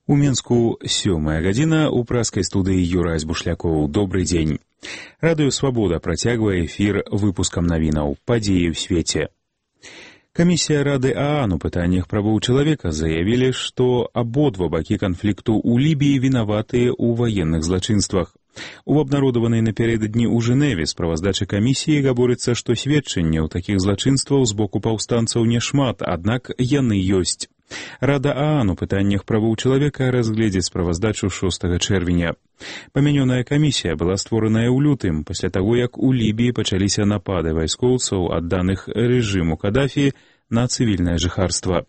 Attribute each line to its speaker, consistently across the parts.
Speaker 1: У Мінску 7 гадзіна ў праскай студыі Юрась Бушлякоў. Добрый дзень. Радыё «Свабода» працягвае эфір выпускам навінаў «Падзеі ў свеце». Камісія Рады ААН у пытаннях правоў чалавека заявілі, што абодва бакі канфлікту ў Лібіі вінаватыя ў ваенных злачынствах. У абнародаванай напярэдадні ў Жэневе справаздачы камісіі гаворыцца, што сведчанняў такіх злачынстваў з боку паўстанцаў няшмат, аднак яны ёсць. Рада ААН у пытаннях правоў чалавека разгледзіць справаздачу 6 чэрвеня. Памянёная камісія была створаная ў лютым, пасля таго, як у Лібіі пачаліся напады вайскоўцаў, адданых рэжыму Кадафі, на цывільнае жыхарства.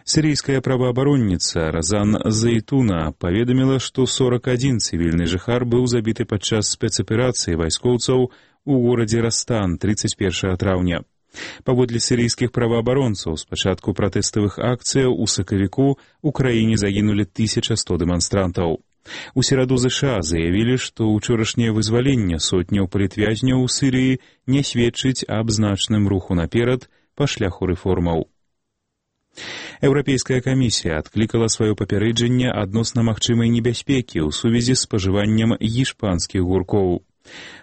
Speaker 1: Сірійская праваабаронніца Разан Зайтуна паведаміла, што 41 цывільны жыхар быў забіты падчас спецаперацыі вайскоўцаў у горадзе Растан 31 траўня. Паводле сірійскіх праваабаронцаў, з пачатку пратэставых акцыяў у сакавіку у краіне загінулі 1100 дэманстрантаў. У сераду ЗША заявілі, што ўчорашняе вызваленне сотняў палітвязняў у Сірыі не сведчыць аб значным руху наперад па шляху рэформаў. Еўрапейская камісія адклікала сваё папярэджанне адносна магчымай небяспекі ў сувязі з спажываннем гішпанскіх гуркоў.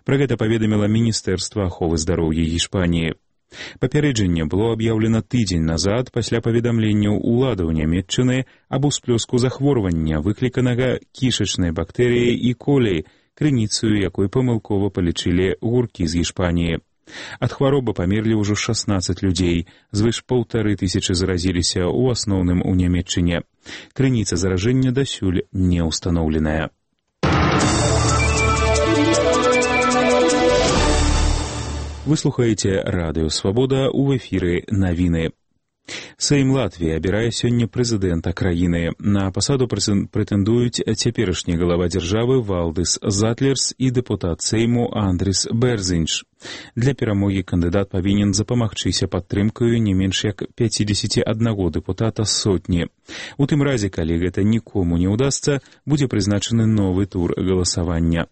Speaker 1: Пра гэта паведаміла Міністэрства аховы здароўя Гішпаніі. Папярэджанне было аб'яўлена тыдзень назад пасля паведамленняў уладаў Нямецчыны аб усплёску захворвання, выкліканага кішачнай бактэрыяй і колей, крыніцаю якой памылкова палічылі гуркі з Гішпаніі. Ад хваробы памерлі ўжо 16 людзей, звыш 1500 заразіліся, у асноўным у Нямецчыне. Крыніца заражэння дасюль не ўстаноўленая. Вы слухаеце радыё «Свабода», у эфіры навіны. Сейм Латвіі абірае сёння прэзідэнта краіны. На пасаду прэтэндуюць цяперашні галава дзяржавы Валдыс Затлерс і дэпутат Сейму Андрис Берзинч. Для перамогі кандыдат павінен запамагчыся падтрымкаю не менш як 51 дэпутата з сотні. У тым разе, калі гэта нікому не ўдасца, будзе прызначаны новы тур галасавання.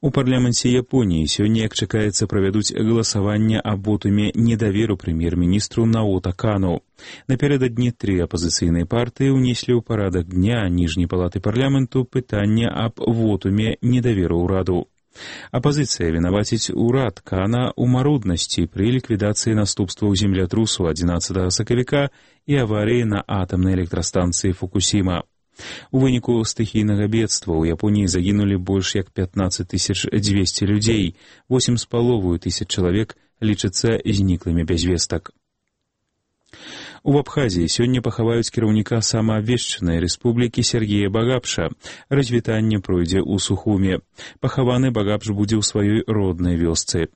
Speaker 1: У парламенце Японіі сёння, як чакаецца, правядуць галасаванне аб вотуме недаверу прэм'ер-міністру Наота Кану. Напярэдадні 3 апазіцыйныя партыі ўнеслі ў парадак дня ніжняй палаты парламенту пытанне аб вотуме недаверу ўраду. Апазіцыя вінаваціць урад Кана ў маруднасці пры ліквідацыі наступстваў землятрусу 11 сакавіка і аварыі на атамнай электрастанцыі Фукусіма. У выніку стыхійнага бедства ў Японіі загінулі больш як 15 200 людзей, 8,5 тысяч чалавек лічацца зніклымі без вестак. У Абхазіі сёння пахаваюць кіраўніка самаабвешчанай рэспублікі Сергея Багапша. Развітанне пройдзе ў Сухуме. Пахаваны Багапш будзе ў сваёй роднай вёсцы.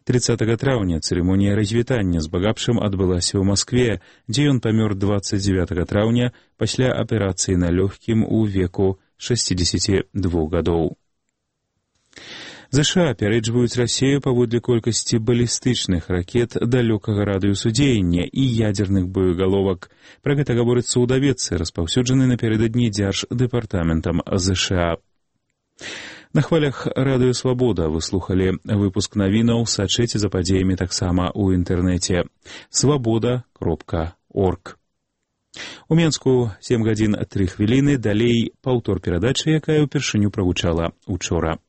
Speaker 1: 30 траўня цырымонія развітання з Багапшам адбылася ў Маскве, дзе ён памёр 29 траўня пасля аперацыі на лёгкім у веку 62 гадоў. ЗША апярэджваюць Расію паводле колькасці балістычных ракет далёкага радыусу дзеяння і ядзерных боегаловак. Пра гэта гаворыцца ў даведцы, распаўсюджанай напярэдадні Дзярждэпартаментам ЗША. На хвалях радыё «Свабода» вы слухалі выпуск навінаў, сачыце за падзеямі таксама ў інтэрнэце свабода.орг. У Мінску 7 гадзін 3 хвіліны, далей паўтор перадачы, якая ўпершыню прагучала учора.